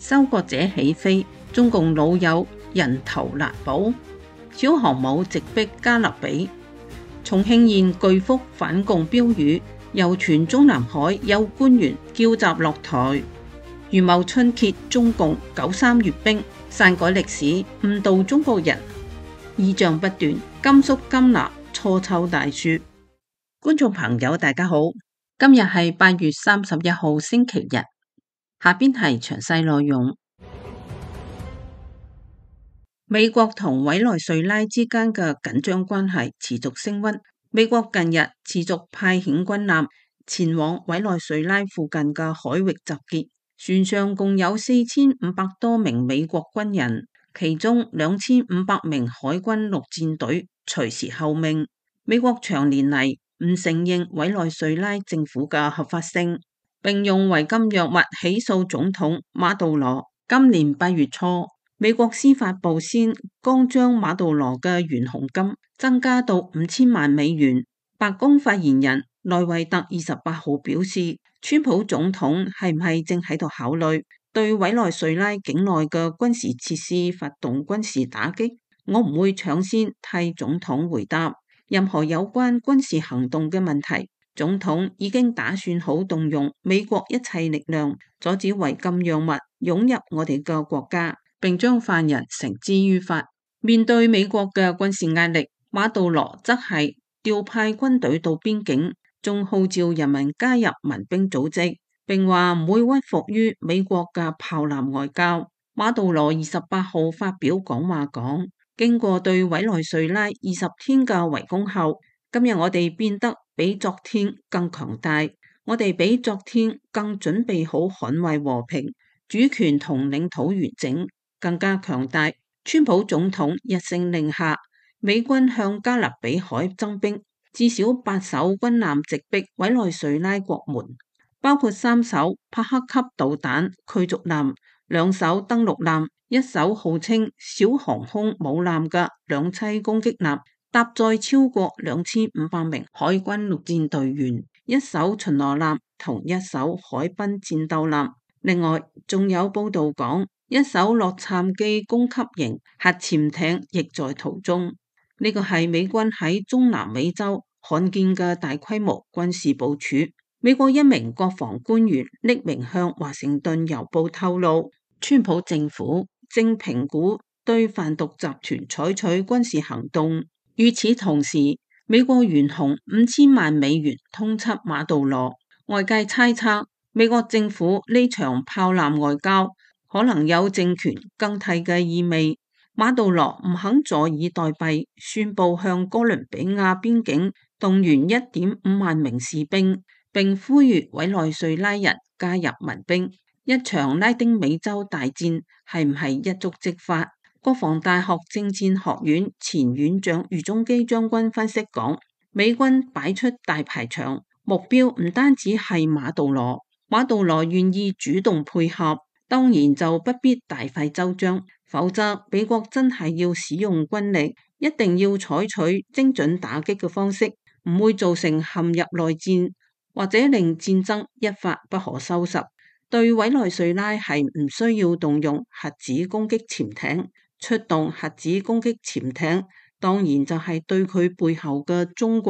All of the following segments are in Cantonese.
收割者起飛，中共老友人頭難保。小航母直逼加勒比。重慶縣巨幅反共標語，謠傳中南海有官員叫集落台。預謀春揭中共93閱兵，篡改歷史，誤導中國人。異象不斷，甘肅甘拿錯湊大樹。觀眾朋友大家好，今日係8月31號星期日，下邊係詳細內容。美國同委內瑞拉之間嘅緊張關係持續升溫，美國近日持續派遣軍艦前往委內瑞拉附近嘅海域集結，船上共有4500多名美國軍人，其中2500名海軍陸戰隊隨時候命。美國長年嚟唔承認委內瑞拉政府嘅合法性，並用違禁藥物起訴總統馬杜羅。今年8月初，美國司法部先剛將馬杜羅嘅懸紅金增加到5000萬美元。白宮發言人萊維特28號表示，川普總統係唔係正喺度考慮對委內瑞拉境內嘅軍事設施發動軍事打擊？我唔會搶先替總統回答任何有關軍事行動嘅問題。總統已經打算好動用美國一切力量，阻止違禁藥物湧入我哋嘅國家，並將犯人繩之於法。面對美國嘅軍事壓力，馬杜羅則係調派軍隊到邊境，仲號召人民加入民兵組織，並話唔會屈服於美國嘅炮艦外交。馬杜羅28號發表講話講，經過對委內瑞拉20天嘅圍攻後，今日我哋變得比昨天更強大，我哋比昨天更準備好捍衛和平、主權同領土完整，更加強大。川普總統一聲令下，美軍向加勒比海增兵，至少8艘軍艦直逼委內瑞拉國門，包括3艘帕克級導彈驅逐艦、2艘登陸艦、1艘號稱小航空母艦嘅兩棲攻擊艦，搭載超過2500名海軍陸戰隊員、1艘巡邏艦同1艘海濱戰鬥艦。另外，仲有報道講，1艘洛杉磯攻擊型核潛艇亦在途中。呢個係美軍喺中南美洲罕見嘅大規模軍事部署。美國一名國防官員匿名向華盛頓郵報透露，川普政府正評估對販毒集團採取軍事行動。與此同時，美國懸紅5000萬美元通緝馬杜羅。外界猜測，美國政府呢場炮艦外交可能有政權更替嘅意味。馬杜羅唔肯坐以待斃，宣布向哥倫比亞邊境動員1.5萬名士兵，並呼籲委內瑞拉人加入民兵。一場拉丁美洲大戰係唔係一觸即發？國防大學政戰學院前院長余中基將軍分析講，美軍擺出大排場，目標唔單止係馬杜羅，馬杜羅願意主動配合，當然就不必大費周章，否則美國真係要使用軍力，一定要採取精準打擊嘅方式，唔會造成陷入內戰，或者令戰爭一發不可收拾。對委內瑞拉係唔需要動用核子攻擊潛艇，出動核子攻擊潛艇，當然就係對佢背後嘅中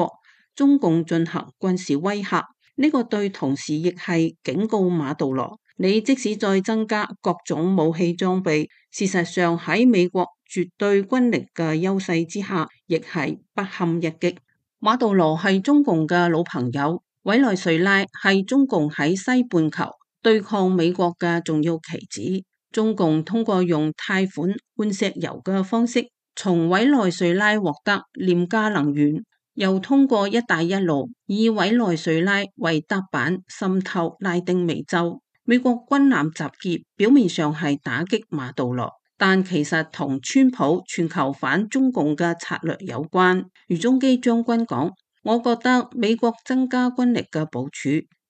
共進行軍事威嚇。呢個對同時亦係警告馬杜羅，你即使再增加各種武器裝備，事實上喺美國絕對軍力嘅優勢之下，亦係不堪一擊。馬杜羅係中共嘅老朋友，委內瑞拉係中共喺西半球對抗美國嘅重要棋子。中共通過用貸款換石油嘅方式，從委內瑞拉獲得廉價能源，又通過一帶一路以委內瑞拉為踏板滲透拉丁美洲。美國軍艦集結表面上係打擊馬杜羅，但其實同川普全球反中共嘅策略有關。余中基將軍講，我覺得美國增加軍力嘅部署，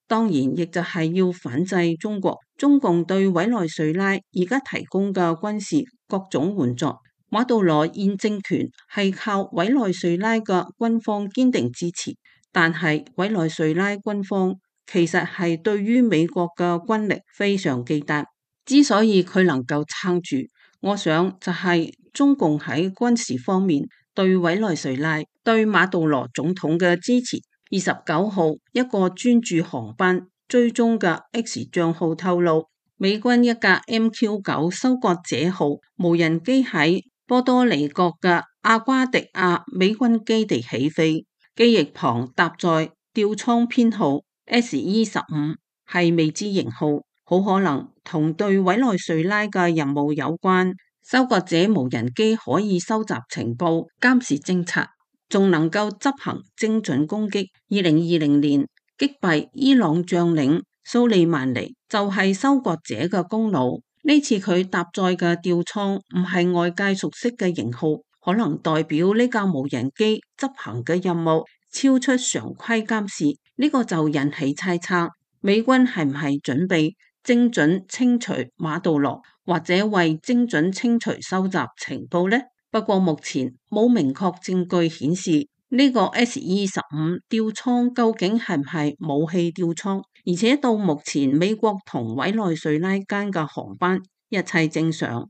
當然亦就係要反制中國。中共對委內瑞拉而家提供嘅軍事各種援助，馬杜羅現政權係靠委內瑞拉嘅軍方堅定支持，但係委內瑞拉軍方其實係對於美國嘅軍力非常忌憚。之所以佢能夠撐住，我想就係中共喺軍事方面對委內瑞拉、對馬杜羅總統嘅支持。29號，一個專注航班追蹤嘅 X 賬號透露，美軍一架 MQ-9 收割者號無人機喺波多黎各嘅阿瓜迪亞美軍基地起飛，機翼旁搭載吊艙編號 SE-15，係未知型號，好可能同對委內瑞拉嘅任務有關。收割者無人機可以收集情報、監視偵察，仲能夠執行精準攻擊。2020年擊敗伊朗將領蘇利曼尼就係收割者嘅功勞。呢次佢搭載嘅吊艙唔係外界熟悉嘅型號，可能代表呢架無人機執行嘅任務超出常規監視。呢個就引起猜測，美軍係唔係準備精準清除馬杜羅，或者為精準清除收集情報呢？不過目前冇明確證據顯示呢個 SE-15吊艙究竟係唔係武器吊艙，而且到目前美國同委內瑞拉間嘅航班一切正常。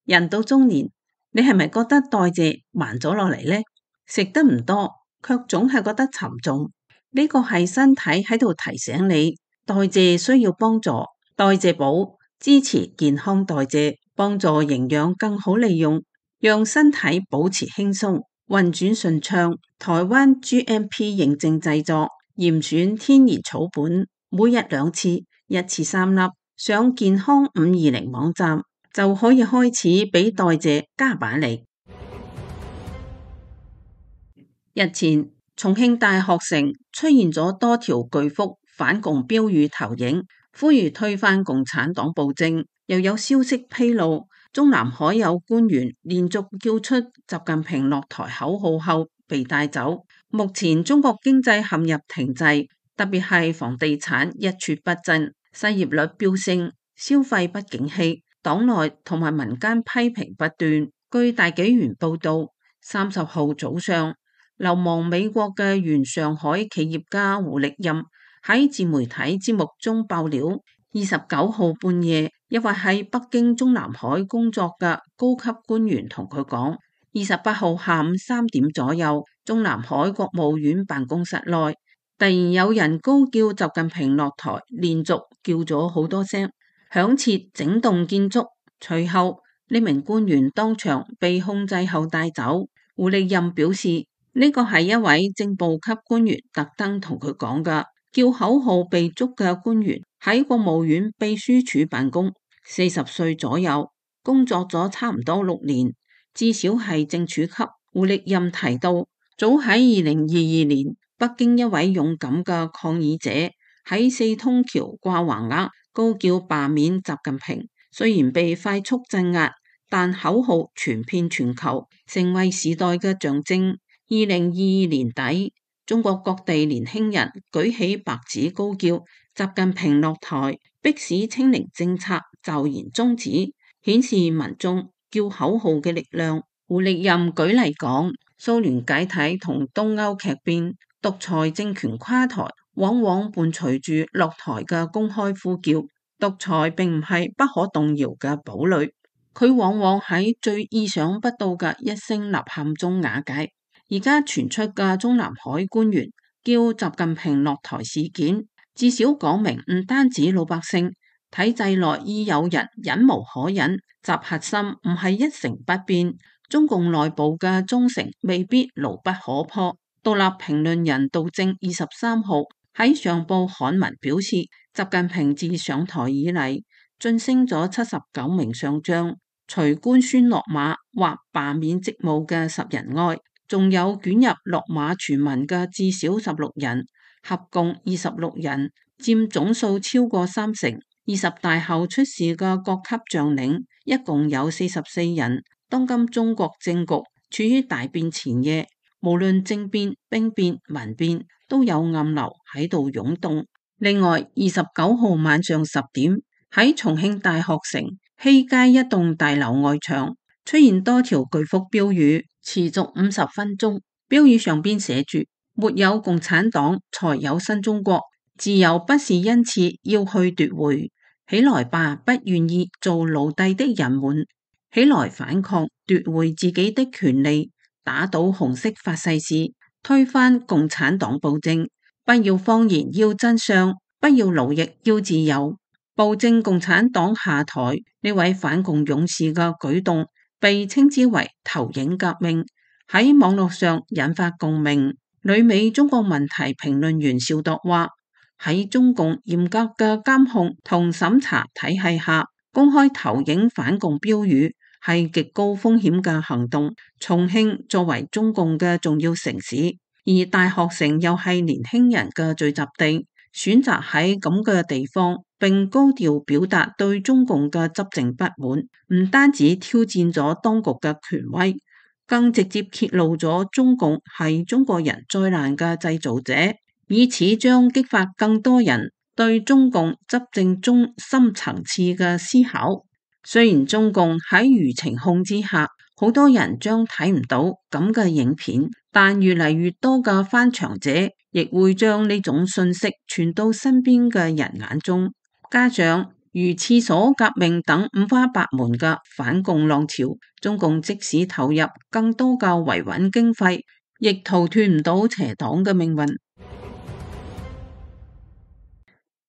人到中年，你係咪覺得代謝慢咗落嚟呢？食得唔多，卻總係覺得沉重。呢個係身體喺度提醒你，代謝需要幫助。代謝寶支持健康代謝，幫助營養更好利用，讓身體保持輕鬆、運轉順暢。台灣 GMP 認證製作，嚴選天然草本，每日2次，一次3粒。上健康520網站就可以開始俾代謝加把力。日前，重慶大學城出現咗多條巨幅反共標語投影，呼籲推翻共產黨暴政。又有消息披露，中南海有官員連續叫出習近平落台口號後被帶走。目前中國經濟陷入停滯，特別係房地產一蹶不振，失業率飆升，消費不景氣，黨內同埋民間批評不斷。據大紀元報道，30號早上，流亡美國嘅原上海企業家胡力任喺自媒體節目中爆料，29號半夜，一位喺北京中南海工作嘅高級官員同佢講，28號下午3點左右，中南海國務院辦公室內突然有人高叫習近平落台，連續叫咗好多聲，響徹整棟建築。隨後呢名官員當場被控制後帶走。胡力任表示，呢個係一位正部級官員特登同佢講㗎。叫口號被捉嘅官員喺國務院秘書處辦公，40歲左右，工作咗差唔多6年，至少係正處級。胡力任提到，早喺2022年，北京一位勇敢嘅抗議者喺四通橋掛橫額，高叫罷免習近平。雖然被快速鎮壓，但口號傳遍全球，成為時代嘅象徵。2022年底，中國各地年輕人舉起白紙高叫習近平落台，迫使清零政策驟然終止，顯示民眾叫口號嘅力量。胡力任舉例講，蘇聯解體同東歐劇變，獨裁政權垮台，往往伴隨住落台嘅公開呼叫。獨裁並唔係不可動搖嘅堡壘，佢往往喺最意想不到嘅一聲吶喊中瓦解。而家傳出嘅中南海官員叫習近平落台事件，至少講明唔單止老百姓，體制內已有人忍無可忍。習核心唔係一成不變，中共內部嘅忠誠未必牢不可破。獨立評論人杜正23號喺上報刊文表示，習近平自上台以嚟晉升咗79名上將，除官宣落馬或罷免職務嘅10人外，仲有捲入落馬傳聞嘅至少16人，合共26人，佔總數超過30%。20大後出事嘅各級將領一共有44人。當今中國政局處於大變前夜，無論政變、兵變、民變，都有暗流喺度湧動。另外，29號晚上10點，喺重慶大學城西街一棟大樓外牆出現多條巨幅標語，持續50分鐘。標語上邊寫住：沒有共產黨，才有新中國。自由不是因此要去奪回。起來吧，不願意做奴隸的人們，起來反抗，奪回自己的權利，打倒紅色法西斯，推翻共產黨暴政。不要謊言，要真相；不要奴役，要自由。暴政共產黨下台，呢位反共勇士嘅舉動被稱之為投影革命，喺網絡上引發共鳴。旅美中國問題評論員邵鐸話：喺中共嚴格嘅監控同審查體系下，公開投影反共標語係極高風險嘅行動。重慶作為中共嘅重要城市，而大學城又係年輕人嘅聚集地，選擇喺咁嘅地方並高調表達對中共嘅執政不滿，唔單止挑戰咗當局嘅權威，更直接揭露咗中共係中國人災難嘅製造者，以此將激發更多人對中共執政中深層次嘅思考。雖然中共喺輿情控之下，好多人將睇唔到咁嘅影片，但越嚟越多嘅翻牆者亦會將呢種信息傳到身邊嘅人眼中。加上如廁所革命等五花八門嘅反共浪潮，中共即使投入更多嘅維穩經費，亦逃脫唔到邪黨嘅命運。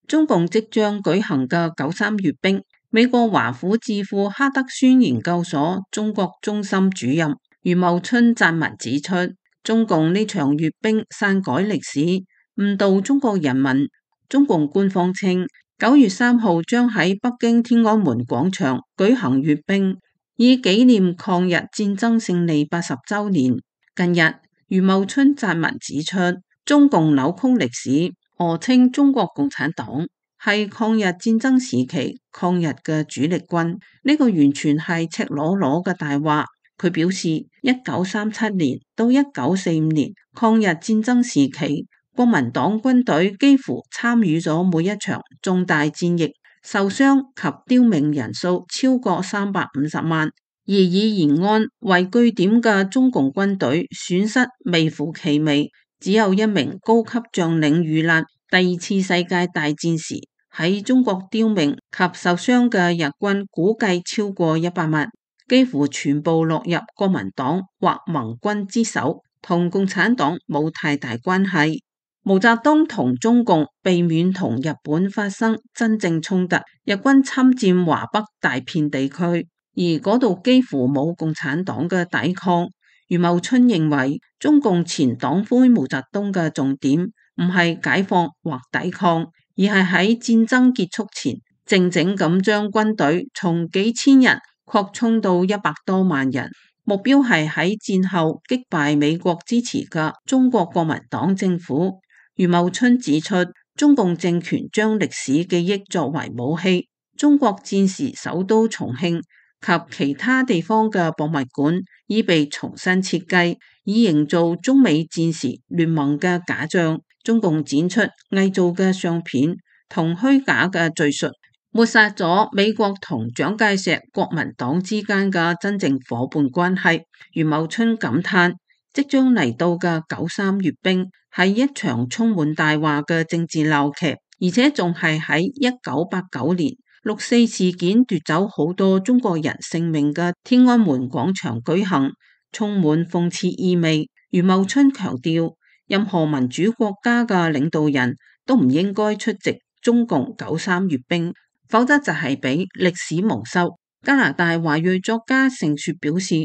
中共即將舉行嘅9·3閱兵，美國華府智庫哈德遜研究所中國中心主任余茂春撰文指出，中共呢場閱兵篡改歷史，誤導中國人民。中共官方稱9月3號將喺北京天安門廣場舉行閱兵，以紀念抗日戰爭勝利80週年。近日，余茂春撰文指出，中共扭曲歷史，訛稱中國共產黨係抗日戰爭時期抗日嘅主力軍，呢個完全係赤裸裸嘅大話。佢表示，1937年到1945年抗日戰爭時期，國民黨軍隊幾乎參與咗每一場重大戰役，受傷及刁命人數超過350萬，而以延安為據點嘅中共軍隊損失微乎其微，只有一名高級將領遇難。第二次世界大戰時，喺中國刁命及受傷嘅日軍估計超過100萬，幾乎全部落入國民黨或盟軍之手，同共產黨冇太大關係。毛澤東同中共避免同日本發生真正衝突，日軍侵佔華北大片地區，而嗰度幾乎冇共產黨嘅抵抗。余茂春認為，中共前黨魁毛澤東嘅重點唔係解放或抵抗，而係喺戰爭結束前，靜靜咁將軍隊從幾千人擴充到100多萬人，目標係喺戰後擊敗美國支持嘅中國國民黨政府。余茂春指出，中共政權將歷史記憶作為武器，中國戰時首都重慶及其他地方嘅博物館已被重新設計，以營造中美戰時聯盟嘅假象。中共展出偽造嘅相片同虛假嘅敘述，抹殺咗美國同蔣介石國民黨之間嘅真正夥伴關係。余茂春感嘆，即將嚟到嘅9·3閱兵係一場充滿大話嘅政治鬧劇，而且仲係喺1989年6·4事件奪走好多中國人性命嘅天安門廣場舉行，充滿諷刺意味。余茂春強調，任何民主國家嘅領導人都唔應該出席中共9·3閱兵，否則就係俾歷史蒙羞。加拿大華裔作家盛雪表示，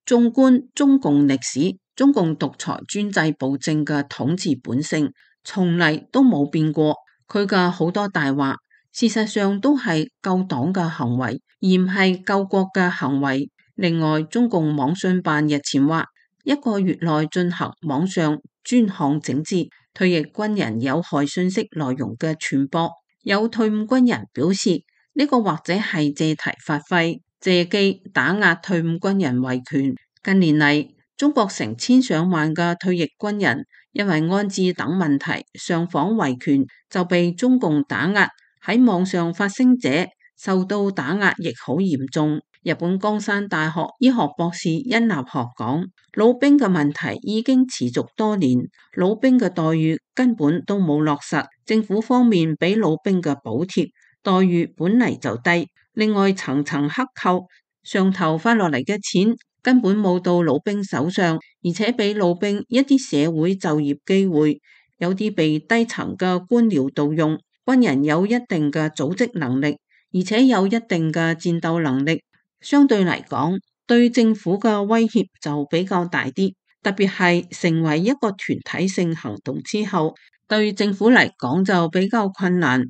縱觀中共歷史，中共獨裁專制暴政嘅統治本性從嚟都冇變過，佢嘅好多大話事實上都係救黨嘅行為，而唔係救國嘅行為。另外，中共網信辦日前話，1個月內進行網上專項整治，退役軍人有害信息內容嘅傳播。有退伍軍人表示，呢個或者係借題發揮，借機打壓退伍軍人維權。近年嚟，中國成千上萬嘅退役軍人因為安置等問題上訪維權，就被中共打壓，喺網上發聲者受到打壓亦好嚴重。日本江山大學醫學博士殷立學講，老兵嘅問題已經持續多年，老兵嘅待遇根本都冇落實，政府方面俾老兵嘅補貼待遇本嚟就低，另外層層克扣，上頭發落嚟嘅錢根本冇到老兵手上，而且俾老兵一啲社會就業機會，有啲被低層嘅官僚盜用。軍人有一定嘅組織能力，而且有一定嘅戰鬥能力，相對嚟講，對政府嘅威脅就比較大啲。特別係成為一個團體性行動之後，對政府嚟講就比較困難。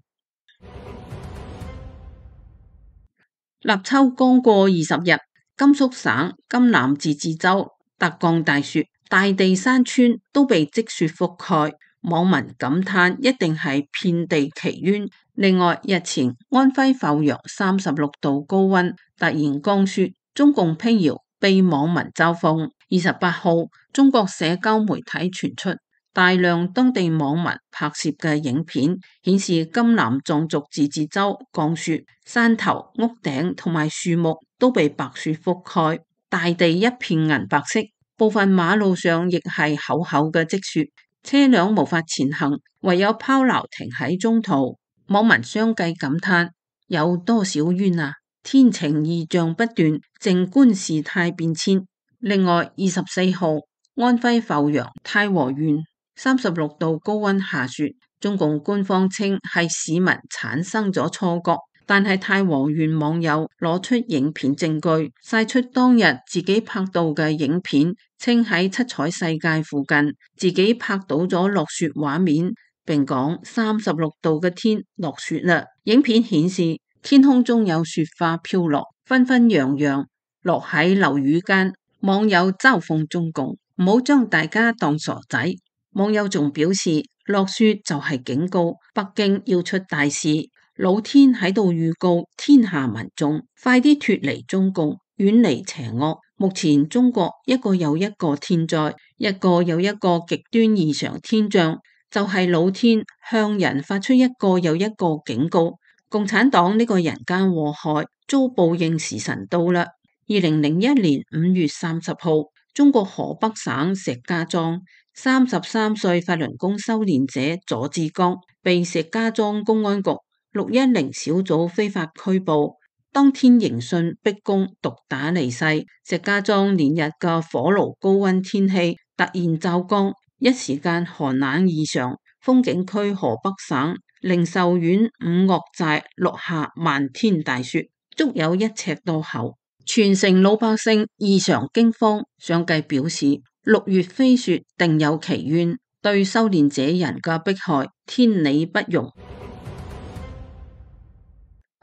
立秋剛過20日，甘肅省甘南自治州特降大雪，大地山川都被積雪覆蓋。網民感嘆一定係遍地奇淵。另外，日前安徽阜陽36度高溫，突然降雪，中共闢謠被網民嘲諷。28號，中國社交媒體傳出大量當地網民拍攝嘅影片，顯示甘南藏族自治州降雪，山頭、屋頂同埋樹木都被白雪覆蓋，大地一片銀白色，部分馬路上亦係厚厚嘅積雪。車輛無法前行，唯有拋錨停喺中途。網民相繼感嘆：有多少冤啊！天晴異象不斷，靜觀事態變遷。另外，24號，安徽阜陽太和縣36度高溫下雪，中共官方稱係市民產生咗錯覺。但係太和縣網友攞出影片證據，晒出當日自己拍到嘅影片，稱喺七彩世界附近自己拍到咗落雪畫面，並講36度嘅天落雪啦。影片顯示天空中有雪花飄落，紛紛揚揚落喺樓宇間。網友嘲諷中共唔好將大家當傻仔。網友仲表示落雪就係警告，北京要出大事。老天喺度預告天下民眾，快啲脫離中共，遠離邪惡。目前中國一個又一個天災，一個又一個極端異常天象，就係老天向人發出一個又一個警告。共產黨呢個人間禍害遭報應時辰到啦。2001年5月30號，中國河北省石家莊33歲法輪功修煉者左志剛被石家莊公安局610小組非法拘捕，當天迎訊逼供，毒打離世。石家莊連日嘅火爐高溫天氣突然驟降，一時間寒冷異常。風景區河北省靈壽縣五岳寨落下漫天大雪，足有1尺多厚，全城老百姓異常驚慌。相繼表示6月飛雪定有其冤，對修煉者人嘅迫害天理不容。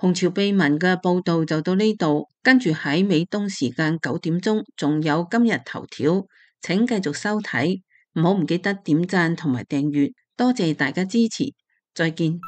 紅潮秘聞嘅報道就到呢度，跟住喺美東時間9點鐘，仲有今日頭條，請繼續收睇，唔好唔記得點讚同埋訂閱，多謝大家支持，再見。